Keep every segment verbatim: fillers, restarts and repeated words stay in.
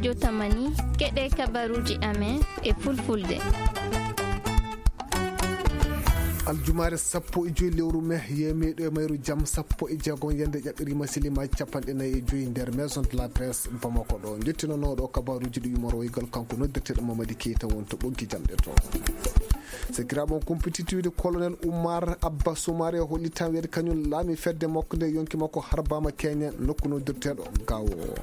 Jotamani, keɗe kabaruuji amen e fulfulde. Aljumaare sappo e joy lewru me, yemeɗo e mayru jam sappo e jeego, yande ƴaɓɓirima silimaji capanɗe nayi e joy nder Maison de la Presse Bamako ɗo. Jottinanooɗo kabaruuji ɗi yumoro waygal kanko noddirteɗo Mamadi Keita won to ɓoggi jamɗe to. Sakiraaɓe on kumpititiwde colonel Oumar Abba Soumaré hollitan weede kañum laami fedde makko nde yonki makko harbama keñen nokku noddirteɗo Gawo.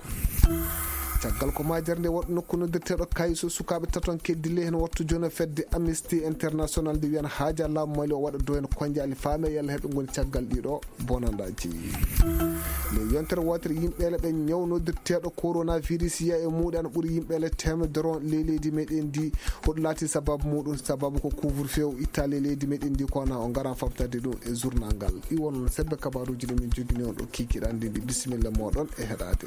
Caggal ko majere nde waɗi nokku noddirteɗo Kayso, sukaaɓe taton keddi ley hen wattu jono fedde Amnesty International nde wiyan haaja laamu Mali o waɗa do hen konjaali faame yalla heɓe ngoni caggal ɗiɗo bonandaji. Nde yontere wootere yimɓeele ɓe ñaw noddirteɗo coronavirus yiya e muɗe ana ɓuri yimɓeele temedere on ley leydi meɗen ndi. Hoɗo laati sababu muɗum? Sababu ko couvre feu o itta ley leydi meɗen ndi, kono o ngaran famtade ɗum e journal ngal. Iwon sebbe kabaruji ɗi min jogini on ɗo kikiɗande ndi. Bisimilla moɗon e heɗade.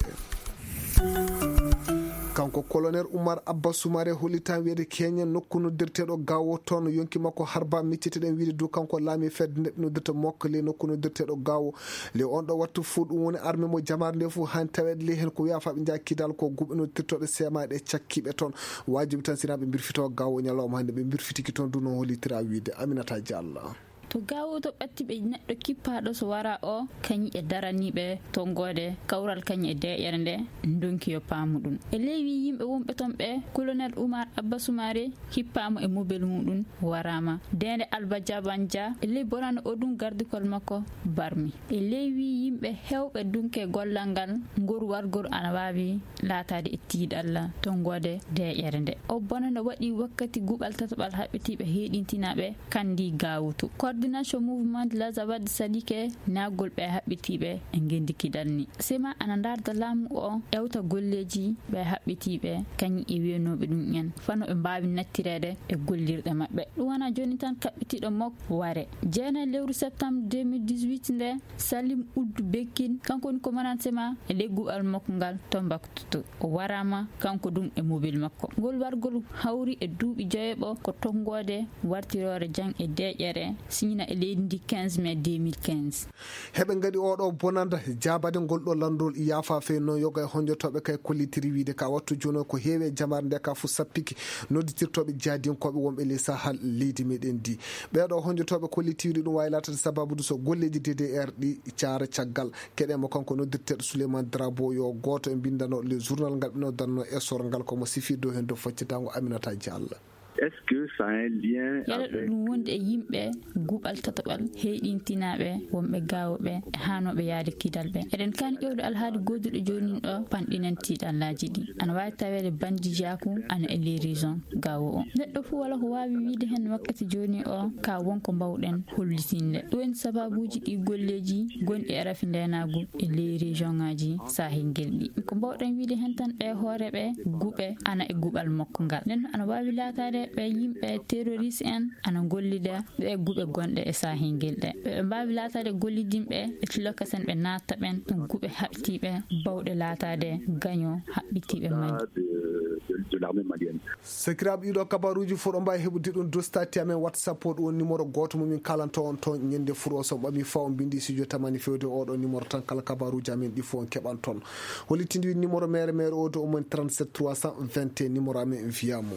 Kanko colonel Oumar Abba Soumaré hollitan wiyede keñen nokku noddirteɗo Gawo toon yonki makko harba micciteɗen wiide du kanko laami fedde nde noddirta mokko ley nokku noddirteɗo Gawo. Ley on ɗo wattu fuu ɗum woni arme mo jamaare nde fuu han taweɗe ley hen ko wiya fa ɓe njaha kidal ko guɓe noddirtoɗe semaɗe cakkiɓe toon. Wajibi tan sina ɓe mbirfito Gawo ñalawma hannde ɓe mbirfitiki toon du no hollitira wiide Aminata Diallo. To Gawo to ɓatti ɓe neɗɗo kippaaɗo so wara o, kañum e daraniiɓe tonngoode kawral kañum e deeƴere nde, ndonki yo paamu ɗum. E ley wii yimɓe wonɓe toon ɓe, colonel Oumar Abba Soumaré hippaama e mobel muɗum, waraama. Deende Alba Jabanja e ley bonande o ɗum gardikol makko barmi. E ley wii yimɓe heewɓe dunke gollal ngal, ngor wargol ana waawi laataade e tiiɗalla tonngoode deeƴere nde. O bonande waɗi wakkati guɓal tataɓal haɓɓitiiɓe heeɗintinaaɓe kandi Gawutu. Coordination Mouvement de l'Azawad Sadike naagol ɓe haɓɓitiiɓe e ngendi kidal ni. Sema ana ndaarda laamu o ewta golleeji ɓe haɓɓitiiɓe kañum e wiyanooɓe ɗum en fano ɓe mbaawi nattireede e gollirɗe maɓɓe. Ɗum wona jooni tan kaɓɓitiiɗo mok ware. Jeenayi lewru septembre deux mille dix-huit nde Salim Ould Bekkin, kanko woni commandant sema e ley guɓal makko ngal Tombouctou. O waraama kanko ɗum e mobile makko. Ngol wargol hawri e duuɓi joyeeɓo ko tonngoode wartiroore jang e deeƴere siñina e leydi ndi quinze mai deux mille quinze. Heɓe ngaɗi oɗo bonanda jaabade ngol ɗo landol yaafa fey noon yoga e honjotooɓe kay kollitiri wiide ka wattu jooni o ko heewi e jamaare nde ka fof sappiki nodditirtooɓe jaadiyankooɓe wonɓe ley sahal leydi meɗen ndi. Ɓeeɗo honjotooɓe kollitiri ɗum waawi laatade sababude so golleeji D D R ɗi caara caggal. Keɗe mo kanko noddirteeɗo Souleymane Drabo yo gooto e mbindanooɗo le journal ngal ɓe noddanno essor ngal komo sifir dow heen dow faccitango Aminata Diallo. Est-ce que ça a un lien yala ɗo avec ɗum wonde e yimɓe guɓal tataɓal heyɗintinaaɓe wonɓe gaawooɓe e haanooɓe yahde kidal ɓe? Eɗen kaani ƴewde alhaali gooduɗo joonin ɗo panɗinen tiiɗallaaji ɗi. Ana waawi taweede bandijaaku ana e les régions gaawo o. Neɗɗo fof wala ko waawi wiide heen wakkati jooni o ka won ko mbawɗen hollitinde. Ɗum woni sababuuji ɗi golleeji gonɗi e rafi ndeenaagu e les régions ngaaji sahel ngel ɗi. Ko mbawɗen wiide heen tan ɓe hooreeɓe guɓe ana e guɓal makko ngal. Nden ana waawi laataade ɓe yimɓe terroriste en ana gollida ɓe guɓe gonɗe e sahel ngel ɗe. Ɓe mbaawi laataade gollidinɓe e tilokasen ɓe naatta ɓen guɓe haɓtiiɓe bawɗe laataade gaño haɓɓitiiɓe mali. De, de, de l'armée malienne. Sakiraaɓe ɗiɗo kabaruuji fof ɗo mbaawi heɓude ɗum dostati amen WhatsApp o ɗum woni numéro gooto mo min kalanta on toon ñande furo so ɓami faw mbindi studio tamani fewde oɗo numéro tan kala kabaruuji amen ɗi fof on keɓan toon. Hollitinde wi numéro mere mere o do omoni trente-sept trois cent vingt et un numéro amen via mo.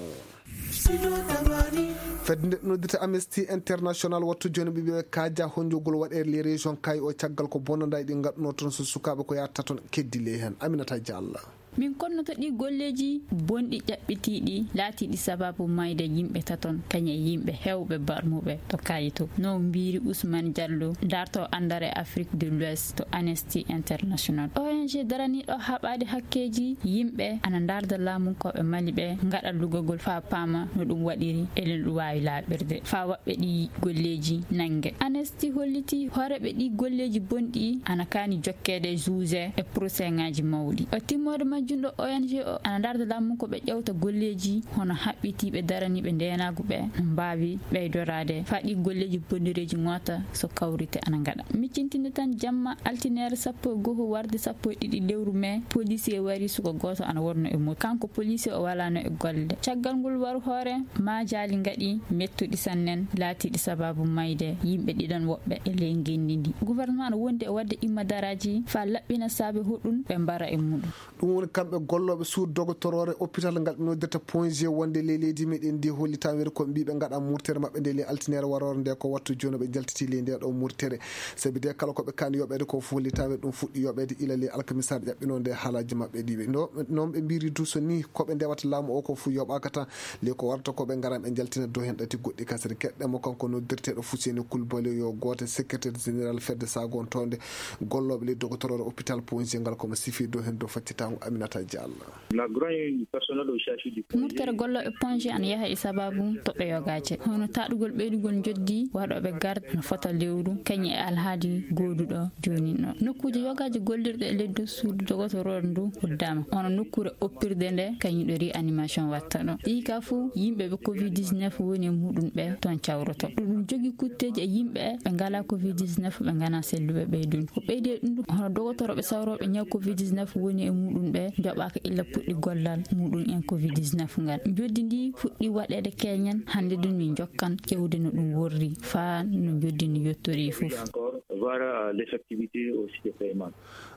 Fedde nde noddita Amnesty International wattu jooni ɓe ɓe kaaja honjogol waɗe les régions kay o caggal ko bonandaji ɗi ngadduno toon so sukaaɓe ko yatta toon keddi ley heen Aminata Diallo. Min konnoto ɗi golleeji bonɗi ƴaɓɓitiiɗi laatiiɗi sababu mayde yimɓe taton kañe yimɓe heewɓe barmuɓe to kayito no mbiri Ousmane Diallo darto andare Afrique de l'Ouest to Amnesty International. O N G daraniiɗo haɓaade hakkeeji yimɓe ana ndarda laamunkooɓe Mali ɓe ngaɗa lugagol faa paama no ɗum waɗiri e no ɗum waawi laaɓirde faa waɗɓe ɗi golleeji nannge. Amnesty holliti hooreeɓe ɗi golleeji bonɗi ana kaani jokkeede juge e procès ŋaaji mawɗi. O timmoode majjum ɗo O N G o ana ndarda laamunkooɓe ƴewta golleeji hono haɓɓitiiɓe daraniiɓe ndeenaagu ɓe mbaawi ɓeydoraade faa ɗi golleeji bonɗireeji ŋoota so kawrite ana ngaɗa. Miccintinde tan jamma altineere sappo e goho warde sappo e ɗiɗi lewru mai, policier wari suka gooto ana wonno e moto. Kanko policier o walaano e golle. Caggal ngol waru hoore, maajaali ngaɗi mettuɗi sannen, laatiiɗi sababu mayde yimɓe ɗiɗon woɓɓe e ley ngenndi ndi. Gouvernement no wondi e waɗde imma daraaji faa laɓɓina saabe hoɗum ɓe mbara e muɗum. Ɗum woni Kamɓe gollooɓe suudu dogotoroore hôpital ngal ɓe noddirta Point G wonde ley leydi meɗen ndi hollitaa weeru ko mbiiɓe ngaɗa murtere maɓɓe nde ley altine waroore nde ko wattu jooni ɓe njaltiti ley nde ɗo murtere. Sabi de kala ko ɓe kaani yoɓeede ko fof hollitaa weeru ɗum fuɗɗi yoɓeede ila ley alkamisaare ƴaɓɓinoo nde haalaaji maɓɓe ɗiɓe. No, noon ɓe mbiri duso ni ko ɓe ndewata laamu o ko fof yoɓaaka tan. Ley ko warata ko ɓe ngara ɓe njaltina dow heen ɗati goɗɗi kasere keɗɗe mo kanko noddirteeɗo Fuseni Kulbali yo gooto secrétaire général fedde sagontonde gollooɓe ley dogotoroore hôpital Point G ngal ko mo sifi dow heen dow faccitaango Aminata Diallo. La grande personnel au chef du Point G. Murtere gollooɓe Point G ana yaha e sababu toɓɓe yogaaje. Hono taɗugol ɓeydugol njoddi waɗooɓe garde no fota lewru kañum e alhaali gooduɗo jooni ɗo. Nokkuuje yogaaje gollirɗe e leddu suudu dogotoroore ndu uddama. Hono nokkuure oppirde nde kañum ɗo réanimation watta ɗo. Ɗi ka fof yimɓe ɓe covid dix-neuf woni e muɗum ɓe toon cawroto. Ɗum jogii kutteeji e yimɓe ɓe ngalaa covid dix-neuf ɓe nganaa selluɓe ɓeydun. Ko ɓeydi e ɗum ɗum, hono dogotoroɓe sawroɓe ñaw covid dix-neuf woni e muɗum ɓe joɓaaka illa puɗɗi gollal muɗum en covid dix-neuf ngal. Njoddi ndi fuɗɗi waɗeede keñen, hannde ɗum min jokkan ƴewde no ɗum worri, faa no njoddi ndi yettori fof. Encore, voir, euh, l'effectivité aussi des paiements.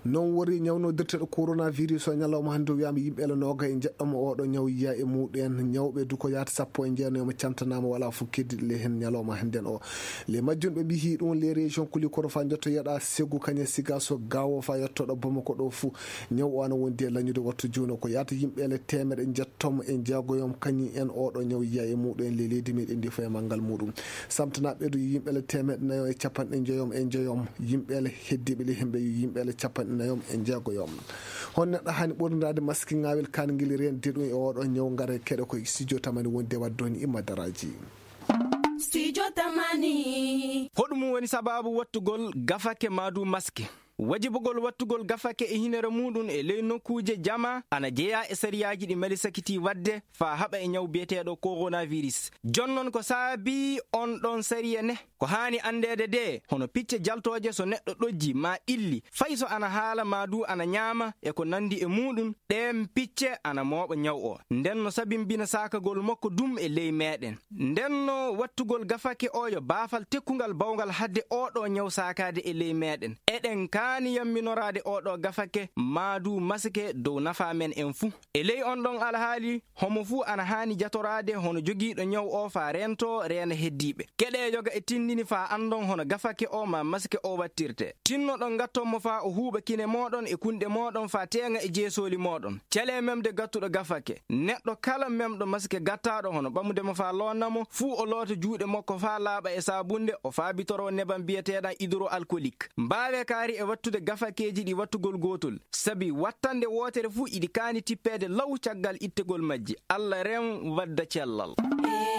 Noon worri ñawnodirteeɗo coronavirus o ñalawma hannde o wiyaama yimɓe ele nooga e njeɗɗo mo oɗo ñaw yiya e muɗum en. Ñawɓe du ko yaata sappo e jeenayo mo camtanaama, wala fof keddiɗo le heen ñalawma hannden o. Le majjum ɓe mbiyi ɗum les régions kuli kono fa jotto yeɗa Segu kañe Sigaso Gawo fa yettoɗo Bamako ɗo fuu. Ñaw o ana wondi e lañude wattu jooni ko yaata yimɓe ele teemeɗe njettom e jeegoyom kañum en oɗo ñaw yiya e muɗum en le leydi meɗen ndi fof e manngal muɗum. Samtana ɓeydu yimɓe ele teemeɗe nayo e capanɗe njoyom e njoyom. Yimɓe ele heddiɓe le hemɓe yimɓe ele capanɗe nayom e jeegoyom. Hon neɗɗo hani ɓorniraade maskiŋaawel kaan ngel reendi ɗum e oɗo ñaw ngare keɗe koye studio tamani wondi e wadde on imma daraaji. Studio Tamani. Hoɗum woni sababu wattugol gafake maadu maske? Wajibugol wattugol gafake e hinere muɗum e ley nokkuuje jama ana jeyaa e sariyaaji ɗi Mali sakiti wadde faa haɓa e ñaw biyeteeɗo coronavirus. Jonnon ko saabi on ɗon sariya ne? Ko haani anndeede de, hono picce jaltooje so neɗɗo ɗojji maa ɗilli, fay so ana haala maa du ana ñaama e ko nanndi e muɗum, ɗeen picce ana mooɓa ñaw o. Nden no sabimbina saakagol makko dum e ley meeɗen. Nden no wattugol gafake o yo baafal tekkungal bawngal hadde oɗo ñaw saakaade e ley meeɗen. Eɗen kaani yamminoraade oɗo gafake maa du masike dow nafaa men en fuu. E ley on ɗon alhaali, homo fuu ana haani jatoraade hono jogiiɗo ñaw o faa reento reena heddiiɓe. Keɗe yoga e tindini faa anndon hono gafake o maa masike o wattirte. Tinnoɗon ngatton mo faa o huuɓa kine mooɗon e kunɗe mooɗon faa teeŋa e jeesooli mooɗon. Calee memde gattuɗo gafake. Neɗɗo kala memɗo masike gattaaɗo hono ɓamude mo faa loonna mo, fuu o loota juuɗe makko faa laaɓa e saabunde, o faabitoroo nebam biyeteeɗam hydroalcoolique. Mbaawee kaari e wattude gafakeeji ɗi wattugol gootol. Sabi wattande wootere fuu iɗi kaani tippeede law caggal ittegol majji. Allah rem wadda cellal.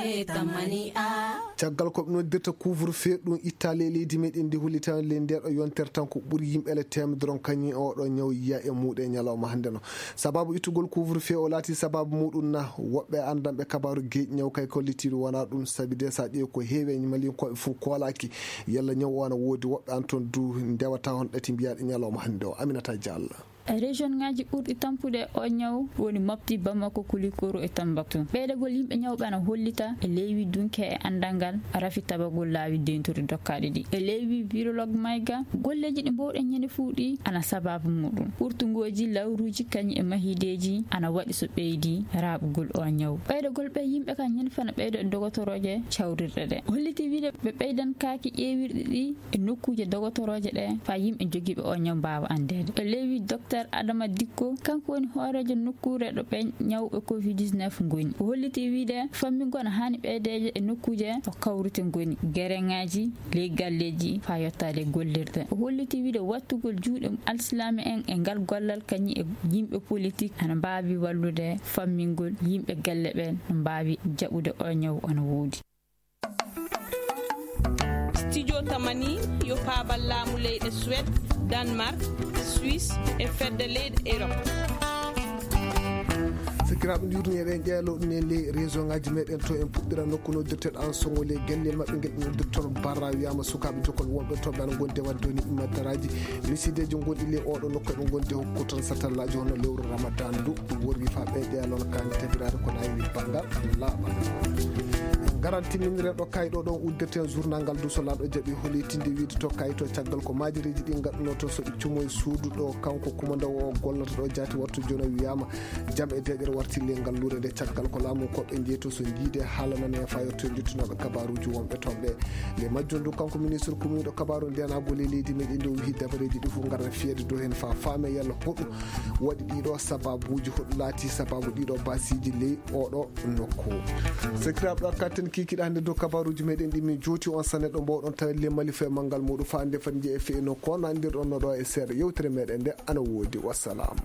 E tamani a. Caggal ko ɓe noddirta couvre-feu ɗum ittaali e leydi meɗen ndi hollitaani ley ndeeɗo yontere tan ko ɓuri yimɓe ele teemedere on kañum e oɗo ñaw yiya e muɗum e ñalawma hannde no. Sababu ittugol couvre-feu o laati sababu muɗum na woɓɓe anndanɓe kabaaru geeƴi ñaw kay kollitiiɗo wonaa ɗum sabi de sa ƴeewi ko heewi e malinkoɓe fof koolaaki. Yalla ñaw o ana woodi woɓɓe an toon du ndewata on ɗati mbiyaɗe ñalawma hannde o. Aminata Diallo. Région ŋaaji ɓurɗi tampude o ñaw woni Mopti, Bamako, Kulikoro e Tambaktu. Ɓeydagol yimɓe ñawɓe ana hollita e leywi dunke e anndal ngal rafi tabagol laawi dentude dokkaaɗe ɗi. E leywi virologue Mayga, golleeji ɗi mbowɗen ñande fuu ɗi ana sababu muɗum. Ɓurtungooji lawruuji kañum e mahideeji ana waɗi so ɓeydi raaɓugol o ñaw. Ɓeydagol ɓe yimɓe ka ñande fana ɓeydo e dogotorooje cawrirɗe ɗe. Holliti wiide ɓe ɓeydan kaaki ƴeewirɗe ɗi e nokkuuje dogotorooje ɗe faa yimɓe jogiiɓe o ñaw mbaawa anndeede. E leywi Docteur Adama Dikko, kanko woni hooreejo nokkuure ɗo ɓe ñawɓe covid dix-neuf ngoni. O holliti wiide fammingol ana haani ɓeydeede e nokkuuje ɗo kawrite ngoni, gereŋaaji, ley galleeji faa yottaade gollirde. O holliti wiide wattugol juuɗe alsilaame en e ngal gollal kañum e yimɓe politik ana mbaawi wallude fammingol yimɓe galle ɓen no mbaawi jaɓude o ñaw ana woodi. Studio Tamani yo paabal laamu leyɗe Suède, Danemark, Suisse e fedde leyɗe Europe. Sakiraaɓe, njurni eɗen ƴeelo ɗum e ley réseau ngaji meɗen to. En puɗɗira nokku noddirteɗo an songo ley gelle maɓɓe ngel ɓe noddirton Barra. Wiyama sukaaɓe jokkol wonɓe to ɓe ana gondi e wadde woni immataraaji misideji gonɗi ley oɗo nokku, ɓe gondi e hokkugo tan satallaaji hono lewru Ramadan ndu. Ɗum worwi fa ɓe ƴeelo kan tabiraade ko nayi banngal laaɓal. Ngaran timminire ɗo kayɗo ɗon uddirten journal ngal duso laaɗo jaɓi holitinde wiide to kayto caggal ko maajereji ɗi ngaɗuno to so ɗi cumo e suudu ɗo kanko kumandawo o gollata ɗo jaati wattu jona wiyama jam e deeƴere warti le ngal luure nde caggal ko laamu koɓe jeyto so jiide haalanane e fayotto e jottunoɓe kabaruji wonɓe toon ɓe. Le majjum ɗum kanko ministre kumiɗo kabaru ndenago le leydi meɗen nde o wihi dabareji ɗi fof ngara fiyede dow hen fa faame yalla hoɗu waɗi ɗiɗo sababuji hoɗu laati sababu ɗiɗo basiji ley oɗo nokku. Sakiraaɓe, ɗo katten kikiɗa hannde dow kabaruji meɗen ɗi min jooti on sanne ɗo mbawɗon tawi le malifa e manngal muɗum fa hannde fati jeeya feeno ko nandirɗon no ɗo e seeɗa yewtere meɗen nde ana woodi. Wassalam.